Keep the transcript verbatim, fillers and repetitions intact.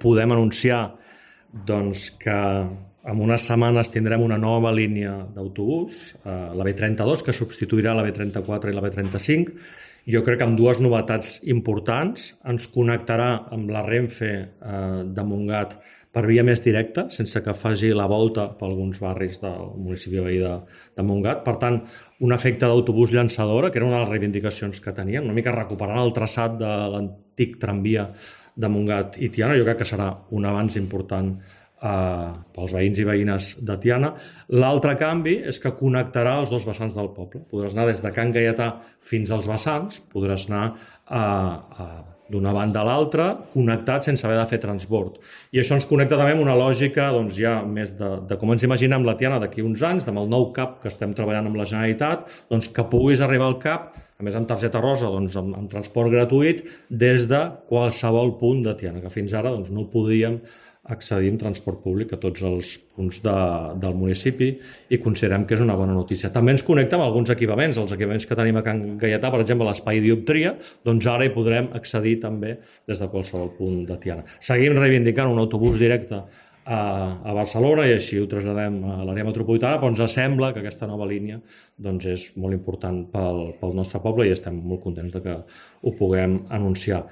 podem anunciar doncs, que en unes setmanes tindrem una nova línia d'autobús, eh, la B trenta-dos, que substituirà la B trenta-quatre i la B trenta-cinc. Jo crec que amb dues novetats importants. Ens connectarà amb la Renfe eh, de Montgat per via més directa, sense que faci la volta per alguns barris del municipi veí de, de Montgat. Per tant, un efecte d'autobús llançadora, que era una de les reivindicacions que teníem, una mica recuperant el traçat de l'antic tramvia de Montgat i Tiana. Jo crec que serà un avanç important eh, pels veïns i veïnes de Tiana. L'altre canvi és que connectarà els dos vessants del poble. Podràs anar des de Can Gaietà fins als vessants, podràs anar a, a d'una banda a l'altra, connectat sense haver de fer transport. I això ens connecta també amb una lògica doncs, ja més de, de com ens imaginem la Tiana d'aquí uns anys, amb el nou C A P que estem treballant amb la Generalitat, doncs, que puguis arribar al C A P, a més amb targeta rosa, doncs, amb, amb transport gratuït, des de qualsevol punt de Tiana, que fins ara doncs, no podíem accedir en transport públic a tots els punts de, del municipi i considerem que és una bona notícia. També ens connecta amb alguns equipaments, els equipaments que tenim a Can Gaietà, per exemple, l'espai dioptria, doncs ara hi podrem accedir també des de qualsevol punt de Tiana. Seguim reivindicant un autobús directe a, a Barcelona i així ho traslladem a l'àrea metropolitana, però ens sembla que aquesta nova línia doncs, és molt important pel, pel nostre poble i estem molt contents de que ho puguem anunciar.